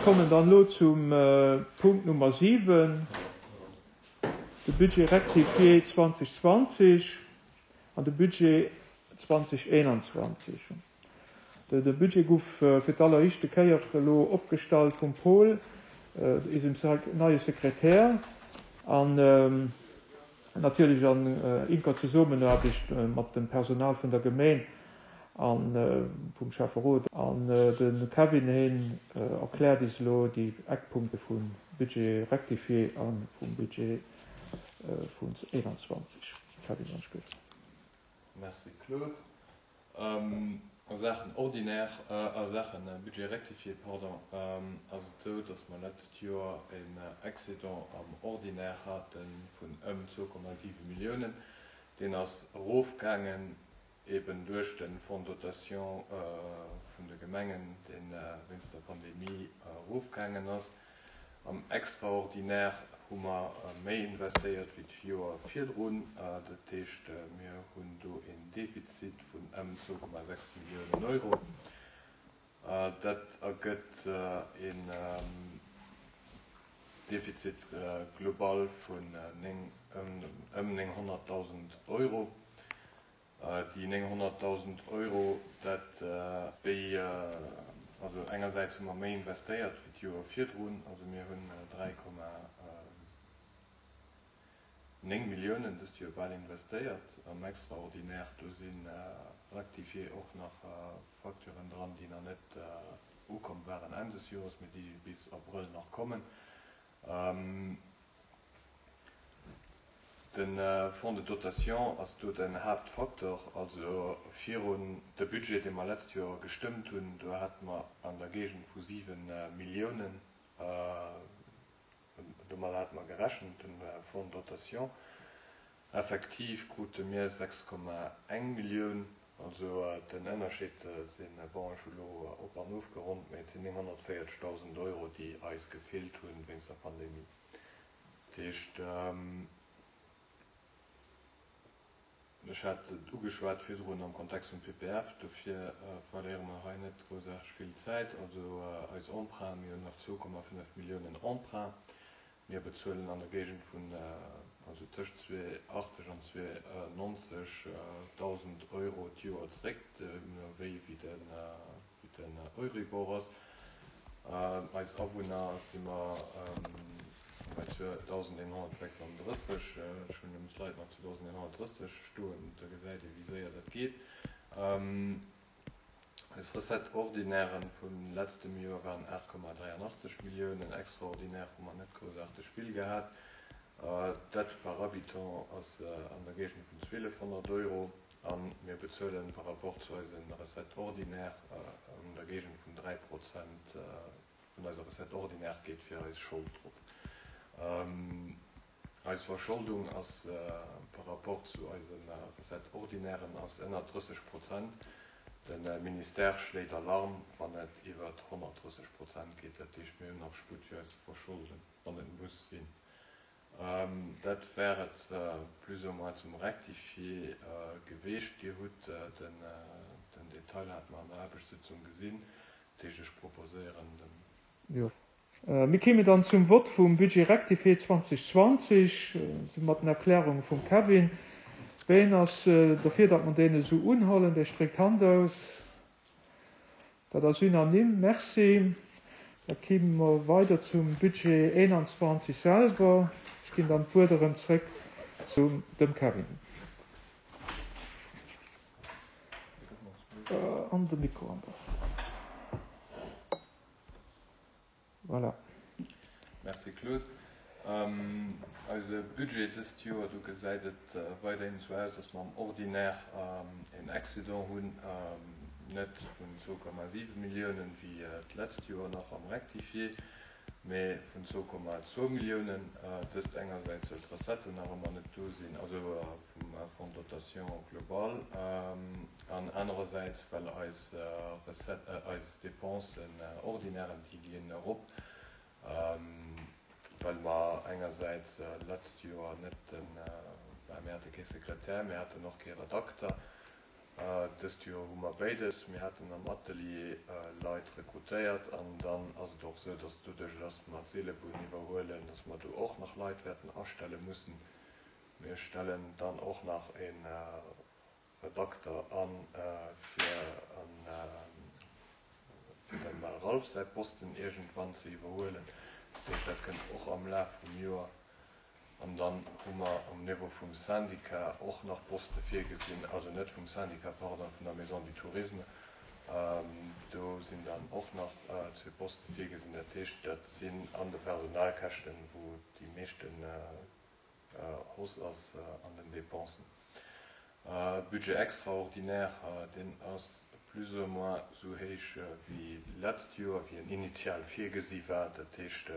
kommen dann elo zum Punkt Nummer 7, de Budget rectifié 2020 an de Budget 2021. De Budget guff fir d'alleréischte Kéier elo opgestallt vum Paul, eisem neie Sekretär, an natierlech an inker Zesummenaarbecht mat dem Personal vun der Gemeen a vum Schäfferot. An de Kevin heen erkläert is elo déi Eckpunkte vum Budget rectifié a vum Budget vun 21. Kevin, wann ech gutt. Merci Claude. A Saachen ordinaire, a Saache Budget rectifié, pardon, ass et esou, datt mer d'letzt Joer en Excédent am Ordinaire hate vun ëm 2,7 Milliounen. Deen ass erofgaangen eben duerch de Fonds de dotation vun de Gemengen, dee wéinst der Pandemie erofgaangen ass. Am Extraordinaire hu mer méi investéiert wéi d'Joer virdrun. Dat heescht, mir hunn do een Defizit vun ëm 2,6 Milliounen Euro. Dat ergëtt een Defizit global vun ëm 900.000 Euro. Déi 900.000 Euro, dat wéi, also engersäits hu mer méi investéiert wéi d'Joer virdrun, also mir hunn 3,9 Milliounen dëst Joer bal investéiert am Extraordinaire. Do si rectifié och nach Facturen dran, déi nach net ukomm waren Enn des Joers, mee déi bis Abrëll nach kommen. De Fonds de dotation ass do den Haaptfaktor. Also virun de Budget, dee mer letzt Joer gestëmmt hunn, do hate mer an der Géigend vu 7 Milliounen, domadder hate mer gerechent, de Fonds de dotation. Effektiv krute mir 6,1 Millioun. Also den Ënnerscheed sinn, bon, ech hu lo op an ofgeronnt, mä et sinn 940.000 Euro, déi eis gefeelt hunn wéinst der Pandemie. Dat heescht, ech hat et ugeschwat virdrun am Kontext vum PPF, dofir verléiere mer hei net groussaarteg vill Zäit. Also eis Emprunts, mir hunn nach 2,5 Milliounen Emprunt. Mir bezuelen an der Géigend vun, also tëscht 280 an 290 dausend Euro d'Joer zréck, deemno wéi wéi den Euribor ass. Eis Awunner si mer bei 2.136, ech hunn um Slide nach 2.130 stoen, da gesäit ee wéi séier dat geet. Eis Recettes ordinairen vu letztem Joer waren 8,83 Milliounen, extraordinaire hu mer net groussaarteg vill gehat. D'Aide par habitant ass an der Géigend vun 1.200 Euro a mir bezuelen par rapport zu eise Recettes ordinaires an der Géigend vun 3 Prozent vun eiser Recette ordinaire geet fir eis Schold drop. Eis Verscholdung ass par rapport zu eise Recettes ordinairen ass ënner 30 Prozent. De Ministère schléit Alarm, wann et iwwer 130 Prozent geet. Dat heescht, mir hunn nach Sputt fir eis ze verscholden, wann et muss sinn. Dat wär et plus ou moins zum Rectifié geweecht. Dir hutt den Detail, hate mer an der Aarbechtssitzung gesinn. Dat heescht, ech proposéieren dem. Jo. Mir kéimen dann zum Vott vum Budget rectifié 2020, mat den Erklärunge vum Kevin. Ween ass derfir, datt mer deen esou unhollen? Dee stréckt d'Hand aus. Dat ass unanime. Merci. Da kéime mer weider zum Budget 21 selwer. Ech ginn dann d'Wuert erëm zréck zu dem Kevin. An de Mikro am beschten. Voilà. Merci Claude. Eise Budget dëst Joer, do gesäit et weiderhin esou aus, dass mer am Ordinaire een Excédent hunn, net vun 2,7 Milliounen wéi d'letzt Joer nach am Rectifié, mee vun 2,2 Milliounen. Dëst engersäits, well d'Recetten nach ëmmer net do sinn, also vum Fonds de dotation global, an anerersäits, well eis Recette, eis Dépensen ordinairen, déi ginn erop, well mer engersäits d'letzt Joer net den, bah, mir hate kee Sekretär, mir haten och kee Redakter. Dëst Joer hu mer béides. Mir haten am Atelier Leit rekrutéiert an dann ass et och esou, dass doduerch, dass mer d'Seelebunn iwwerhuelen, dass mer do och nach Leit wäerten astelle mussen. Mir stellen dann och nach e Redakter an, fir dem Ralph säi Posten iergendwann ze iwwerhuelen. Dat heescht, dat kënnt och am Laf vum Joer. An dann hu mer um Niveau vum Syndicat och nach Poste virgesinn, also net vum Syndicat, pardon, vun der Maison du Tourisme. Do sinn dann och nach zwee Poste virgesinn. Dat heescht, dat sinn an de Personalkäschten, wou déi meeschten Hausse ass an den Dépensen. Budget extraordinaire, deen ass plus ou moins esou héich wéi d'letzt Joer, wéi en initial virgesi war. Dat heescht,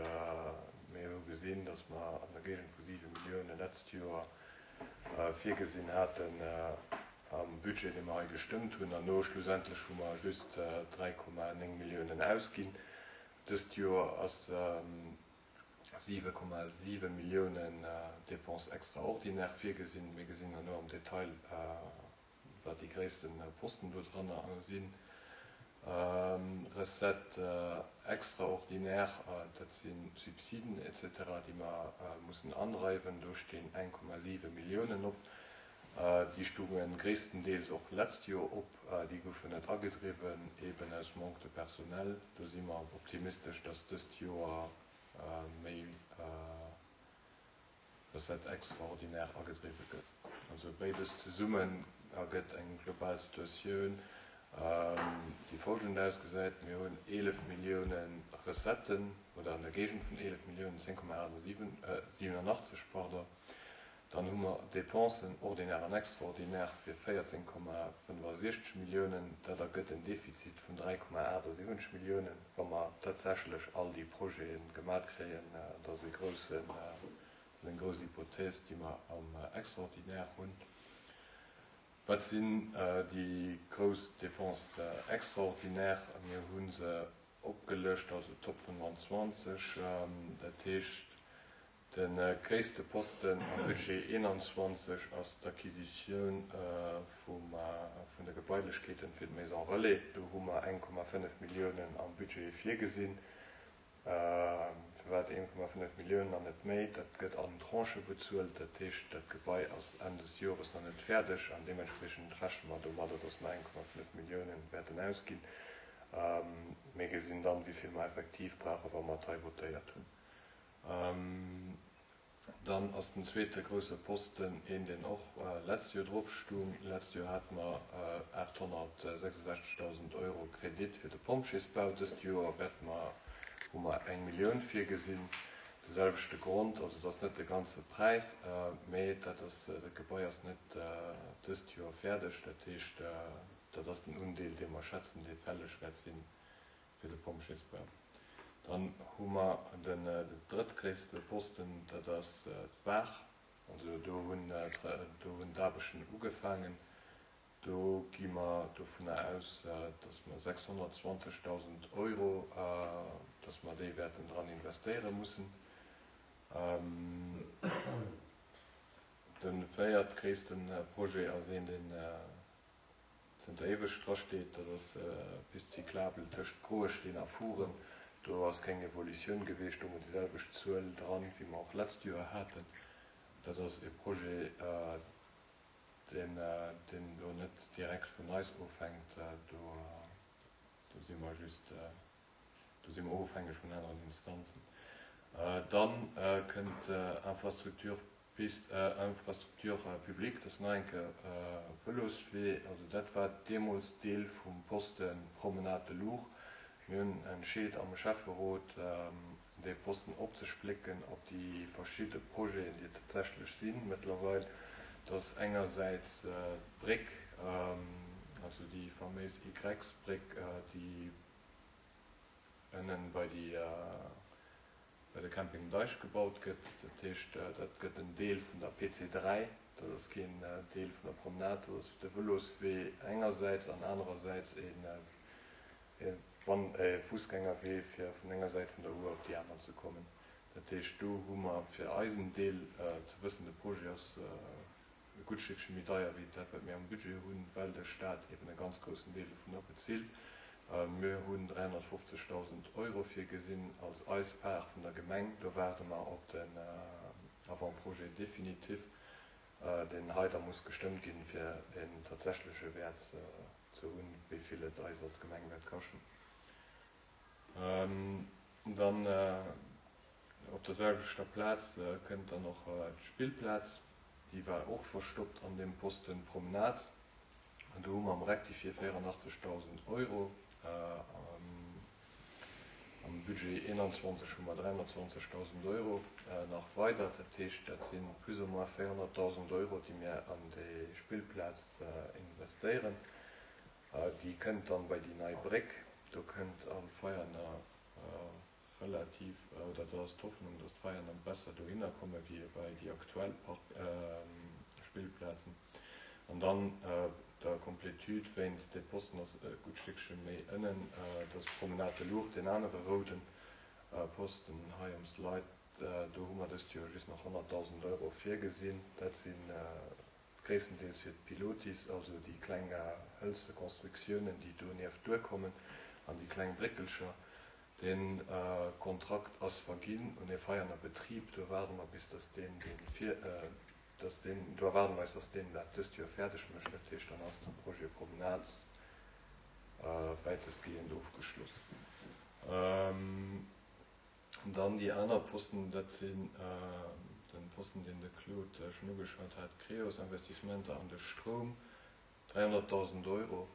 mir hu gesinn, datt mer an der Géigend vu 7 Millioune letzt Joer virgesinn haten am Budget, dee mer hei gestëmmt hunn, an no schlussendlech hu mer just 3,9 Milliounen ausginn. Dëst Joer ass 7,7 Milliounen Dépenses extraordinaires virgesinn. Mir gesinn herno am Detail, wat déi gréisste Posten do dranner sinn. Recettes extraordinaires, dat si Subsiden et cetera, déi mer mussen andreiwen. Do stinn 1,7 Milliounen op. Déi stounge gréisstendeels och d'letzt Joer op. Déi goufen net agedriwwen, eben aus Manque de personnel. Do si mer optimistesch, dass dëst Joer méi Recette extraordinaire agedriwwe gëtt. Also béides zesummen ergëtt eng global Situatioun, déi folgend ausgesäit, Mir hunn 11 Millioune Recetten, oder an der Géigend vun 11 Milliounen, 10,87, pardon, Dann hu mer Dépensen, ordinaire an extraordinaire, fir 14,65 Milliounen. Dat ergëtt en Defizit vun 3,78 Milliounen, wa mer tatsächlech all déi Projete gemat kréien. Dat ass e groussen, dat ass eng grouss Hypothèse, déi mer am Extraordinaire hunn. Wat sinn déi grouss Dépenses extraordinaires? Mir hu se opgelëscht, also d'Top 25, dat heescht De gréisste Posten am Budget 21 ass d'Acquisitioun vun de Gebailechkeeten fir d'Maison Relais. Do hu mer 1,5 Milliounen am Budget virgesinn. Firwat 1,5 Milliounen an net méi? Dat gëtt an Tranchë bezuelt. Dat heescht, dat Gebai ass Enn des Jores nach net fäerdeg an deementspriechend rechne mer domadder, dass mer 1,5 Milliounen wäerten ausginn. Mir gesinn dann, wéi vill mer effektiv brauchen, wa mer et hei votéiert hunn. Dann ass den zweete grousse Posten een, deen och letzt Joer drop stung. Letzt Joer hate mer 866.000 Euro Kredit fir de Pompjeesbau. Dëst Joer wäerte mer, hu mer eng Millioun virgesinn. De selwechte Grond, also et ass net de ganze Präis, mee dat ass, dat Gebai ass net dëst Joer fäerdeg. Dat heescht, dat ass den Undeel, dee mer schätzen, dee fälleg wäert sinn fir de Pompjeesbau. Dann hu mer den drëttgréisste Posten, dat ass d'Baach. Also do hunn do hunn d'Aarbechten ugefaangen. Do gi mer dovunner aus, datt mer 620.000 Euro, datt mer déi wäerten dran investéiere mussen. De véiertgréisste Projet ass een, deen zënter éiweg drasteet, dat ass d'Piste cyclable tëscht Groesteen a Furen. Do ass keng Evolutioun gewiescht, do hu mer déi selwecht Zuel dran, wéi mer och d'letzt Joer haten. Dat ass e Projet, deen elo net direkt vun eis ofhänkt. Do si mer just, do si mer ofhängeg vun aneren Instanzen. Dann kënnt Infrastructure Piste, Infrastructure publique, dat ass nach eng Kéier Vëloswee. Also dat war deemools Deel vum Poste Promenade de l'Our. Mir hunn entscheet am Schäfferot, dee Posten opzesplécken op déi verschidde Projeten, déi et tatsächlech si mëttlerweil. Dat ass engersäits d'Bréck, also déi faméis Y-Bréck, déi ënnen bei déi, bei de Camping Deich gebaut gëtt. Dat heescht, dat gëtt en Deel vun der PC 3. Dat ass keen Deel vun der Promenade, dat ass de Vëloswee engersäits an anerersäits e Fussgängerwee, fir vun enger Säit vun der Our op déi aner ze kommen. Dat heescht, do hu mer fir eisen Deel ze wëssen, de Projet ass. e gutt Stéckche méi deier wéi dat, wat mir am Budget hunn, well de Stat eben e ganz groussen Deel dovunner bezilt. Mir hunn 350.000 Euro virgesinn als eis Part vun der Gemeng. Do waarde mer op den Avant-projet définitif, deen hei da muss gestëmmt ginn, fir en tatsächleche Wäert ze hunn, wéi vill et eis als Gemeng wäert kaschten. Dann op der selwechter Plaz kënnt dann och d'Spillplaz, déi war och verstoppt an deem Posten Promenade. An do hu mer am Rectifié 84.000 Euro, am Budget 21 hu mer 320.000 Euro nach weider. Dat heescht, dat si plus ou moins 400.000 Euro, déi mir an déi Spillplaz investéieren. Déi kënnt dann bei déi nei Bréck. Do kënnt all Veianer relativ, oder do ass d'Hoffnung, dass d'Veianer besser dohinner komme wéi bei déi aktuell Park Spillplazen. An dann der Complétude wéinst, dee Posten ass e gutt Stéckche méi ënnen, dat ass d'Promenade de l'Ourthe, deen anere rouden Posten hei um Slide. Do hu mer dëst Joer just nach 100.000 Euro virgesinn. Dat si gréisstendeels fir d'Pilotis, also déi kleng hëlze Constructiounen, déi donieft duerkommen, an déi kleng Bréckelcher. De Kontrakt ass verginn un e Veianer Betrib. Do erwaarde mer bis, dass deen dee vir, dass deen, do erwaarde mer eis, dass deen dat dëst Joer fäerdeg mécht. Dat heescht, dann ass de Projet Promenade wäitestgehend ofgeschloss. Dann déi aner Posten, dat sinn de Posten, deen de Claude schonn ugeschwat hat, d'Creos-Investissementer an de Stroum, 300.000 Euro.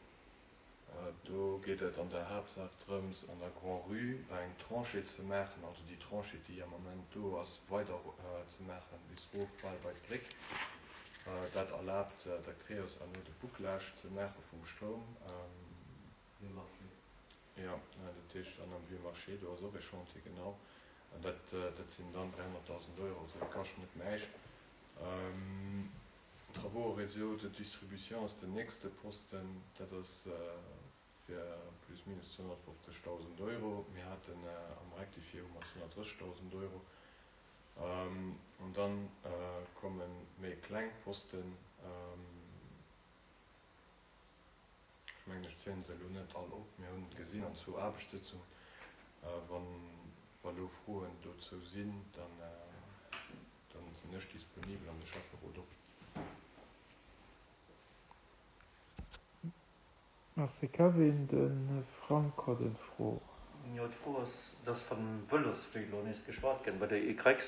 Do geet et an der Haaptsaach drëms, an der Grand-Rue eng Tranchée ze maachen, also déi Tranchée, déi am Ament do ass, weider ze maachen bis erof bal bei d'Bréck. Dat erlaabt der Creos herno de Bouclage ze maache vum Stroum. Vieux Marché. Jo, dat heescht an am Vieux Marché, do ass och e Chantier, genau. An dat, dat sinn dann 300.000 Euro, also dat kascht net näischt. Travaux au réseau de distribution ass den nächste Posten, dat ass fir plus minus 250.000 Euro. Mir haten am Rectifié hu mer 230.000 Euro. An dann komme méi kleng Posten. Ech mengen, ech zielen se elo net all op. Mir hunn et gesinn an zwou Aarbechtssitzungen. Wann elo Froen dozou sinn, dann sinn ech disponibel an de Schäfferot och. Merci Kevin. De Frank huet eng Fro. Jo, d'Fro ass, et ass vun Vëloswee elo nees geschwat ginn bei der Y-Bréck.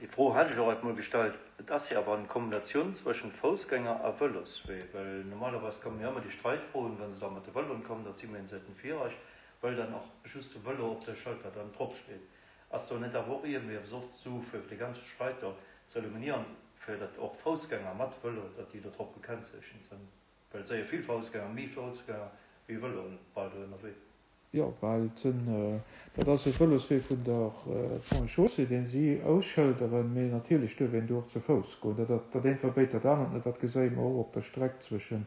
Déi Fro hat ech och alt mol gestallt. Et ass jo awer eng Kombinatioun zwëschent Foussgänger a Vëloswee, well normalerweis komme jo ëmmer déi Streitfroen, wa se da mat de Vëloen kommen, datt si mengen, se hätten Virrecht, well dann och just de Vëlo op der Schëlter dann dropsteet. Ass do net awer och iergendwéi eppes och zu, fir dee ganze Streit do ze eliminieren, fir datt och Foussgänger mat Vëlo, datt déi do drop gekennzeechent sinn? Well et si jo vill Foussgänger, méi Foussgänger wéi Vëloen bal do ënnerwee. Jo, well et sinn, dat ass e Vëloswee vun der Ponts et Chaussées, deen si ausschëlderen, mee natierlech duerf een do och ze Fouss goen. Dat, dat eent verbéit dat anert net. Dat geséie mer och op der Streck zwëschen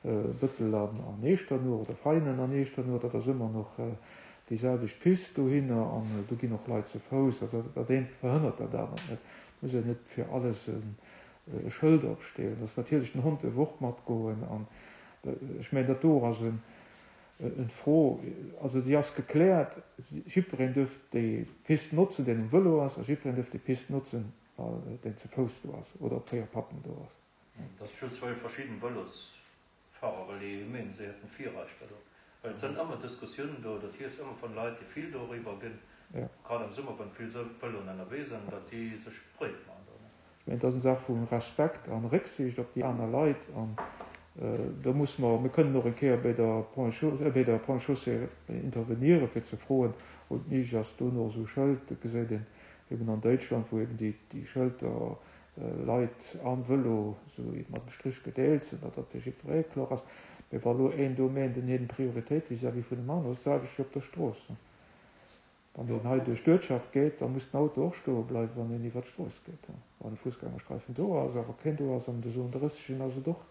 Bëttel an Eechternuch oder Veianen an Eechternuch. Dat ass ëmmer nach déi selwecht Pist dohinner an do ginn och Leit ze Fouss. Dat, dat eent verhënnert dat anert net. Et muss een net fir alles e Schëld opstellen. Dass natierlech den Hond duerf och matgoen an ech mengen, dat do ass en, En Fro, also déi ass gekläert, jiddwereen duerf déi Pist notzen, deen um Vëlo ass, a jiddwereen duerf déi Pist notzen, deen ze Fouss do ass oder op 4 Patten do ass. Et ass just well verschidden Vëlosfahrer, well déi menen se hätten Virrechter do, well et sënn ëmmer Diskussiounen do, dat hiess ëmmer vun Leit déi vill doriwwer ginn, grad am Summer wann vill Vëloen ënnerwee sënn, datt déi sech breet man do. Ech mengen, et ass eng Saach vu Respekt a Récksiicht op déi aner Leit. An do muss mer, mir kënnen och eng Kéier bei der Ponts et Chaussées intervenieren, fir ze froen, ob et méiglech ass, do nach esou Schëld, dat gesäit een eben an Däitschland, wou eben déi Schëlter Leit am Vëlo esou mat dem Strich gedeelt sinn, datt dat fir jiddweree kloer ass. Mee wa elo een do meent, en huet eng Prioritéit vis-à-vis vun dem aneren, ass et d'selwecht wéi op der Strooss. Wann een hei duerch d'Uertschaft geet, da muss den Auto och stoe bleiwen, wann een iwwer d'Strooss geet. Wann e Fussgängersträifen do ass, awer keen do ass an de Zone 30 ass et och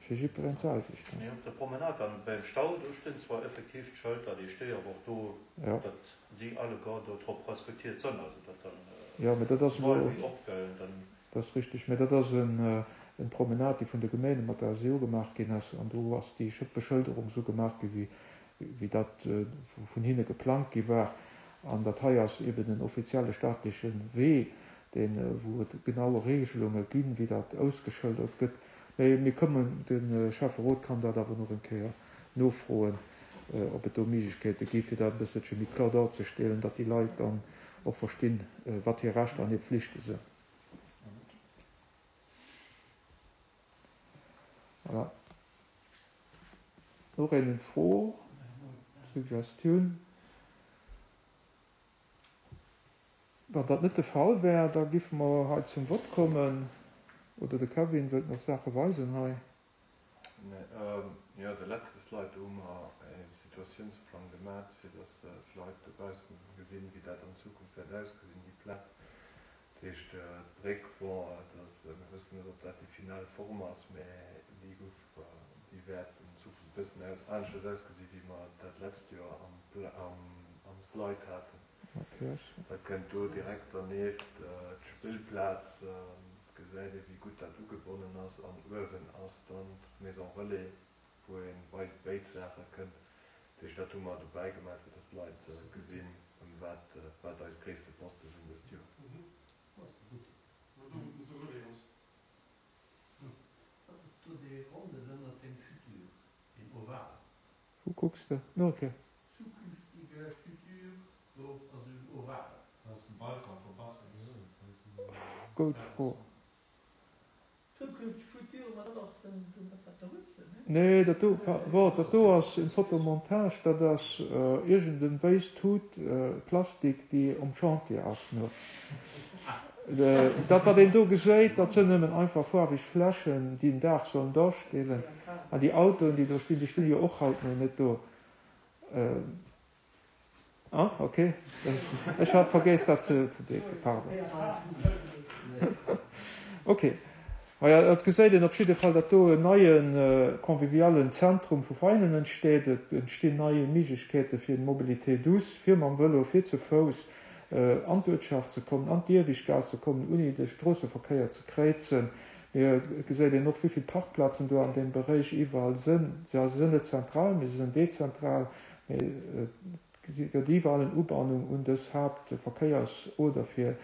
fir jiddwereen d'selwecht. Mee op der Promenade an beim Stau, do stinn zwar effektiv d'Schëlter, déi sti awer och do, datt déi alleguer do drop respektiert sënn, also datt dann Jo, mee dat ass elo. Wéi opgëllen, dann. Dat ass richteg. Mä dat ass en Promenade, déi vun de Geméine mat der SEO gemaach ginn ass. An do ass déi Beschëlderung esou gemaach gi wéi dat vun hinne geplangt gi war. An dat hei ass eben en offizielle staatleche Wee, deen, wou et genaue Regelunge ginn, wéi dat ausgeschëldert gëtt. Mä mir kommen, de Schäfferot kann dat awer nach eng Kéier nofroen, ob et do Méiglechkeete gi fir dat e bësselche méi kloer darzestellen, datt déi Leit dann och verstinn, wat hir Rechter an hir Pflichte sinn. Voilà. Och eng Fro, Suggestioun? Wann dat net de Fall wär, da giffe mer hei zum Vott kommen. Oder de Kevin wëllt nach Saache weisen hei. Jo, de letzte Slide, do hu mer e Situatiounsplang gemat, fir dass d'Leit dobaussen gesinn, wéi dat an Zukunft wäert ausgesinn, déi Plaz. Dat heescht, d'Bréck, bon, et ass, mir wëssen net, ob dat déi final Form ass, mä déi gouf, déi wäert an Zukunft e bëssen aneschters ausgesinn, wéi mer dat letzt Joer am Slide haten. Da kënnt do direkt dernieft d'Spillplaz, et gesäit ee wéi gutt dat ugebonnen ass an uewen ass dann d'Maison Relais, wou ee bei béid Saache kënnt. Dat heescht, dat hu mer dobäi gemaach, fir dass d'Leit gesinn, ëm wat, wat eis gréisste Poste sinn dëst Joer. Wat ass do dee Ronnen ënnert dem Futur, deen Oval? Wou kucks de? No ok. Zukünftige Futur, do ass en Oval. Dat ass den Balcon vum Basseng. Goud Fro. Zukünfteg Futur, ma dat ass den, dat wat der hutt, ne? Nee, dat do, wort, dat do ass en Fotomontage, dat ass iergend en wéiss Tut Plastik, déi um Chantier ass. No dat wat een do geséit, dat sënn nëmmen einfach faarweg Fläschen, déi en Dag sollen darstellen. An déi Autoen, déi do stinn, déi stinn jo och haut no net do. Ah, ok. Ech hat vergéss dat ze deken, pardon. Ok. Maja, et geséit een op jidde Fall, datt do en neie convivialen Zentrum vu Veinen entsteet. Et entstinn nei Méiglechkeete fir Mobilité douce, fir mam Vëlo, fir ze Fouss an d'Uertschaft ze kommen, an d'Ieweschtgaass ze kommen, ouni de Stroosseverkéier ze kréizen. Mee et geséit een och, wéi vill Parkplazen do an deem Beréich iwwerall sënn. Se sënn net zentral, mee se sënn dezentral. Mee et gëtt iwwerall en Ubannung un dës Haaptverkéiersoder fir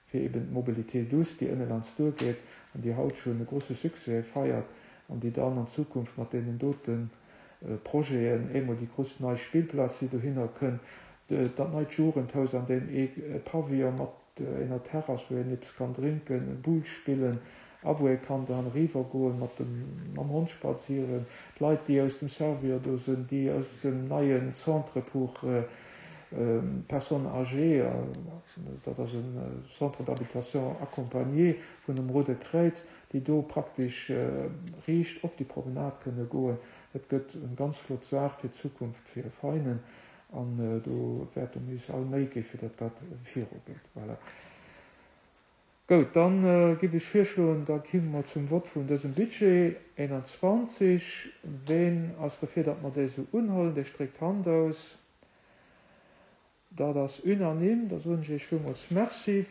fir eben d'Mobilité douce, déi ënne laanscht duergeet an déi haut schonn e grosse Succès feiert an déi dann an Zukunft mat deenen dote Projeten, eemol déi grouss nei Spillplaz, déi dohinner kënn, dat neit Jugendhaus an deem ee Pavillon mat Enger Terrass, wou een eppes kann drénken, Boule spillen a wou ee kann dann eriwwer goen, mat dem, mam Hond spazieren. D'Leit, déi aus dem Servior do sënn, déi aus dem neien Centre pour personnes âgées, dat ass e Centre d'habitation accompagné vun dem Roude Kräiz, déi do praktesch riicht op déi Promenade kënne goen. Dat gëtt eng ganz flott Saach fir d'Zukunft fir Veinen. An do wäerte mir eis all Méi gi fir datt dat virugeet. Voilà. Goud, da giff ech virschloen, da kimme mer zum Vott vun dësem Budget 21. Ween ass derfir, datt mer dee sou unhuelen? Dee stréckt d'Hand aus. Dat ass unanime. Da soen ech Iech villmools Merci.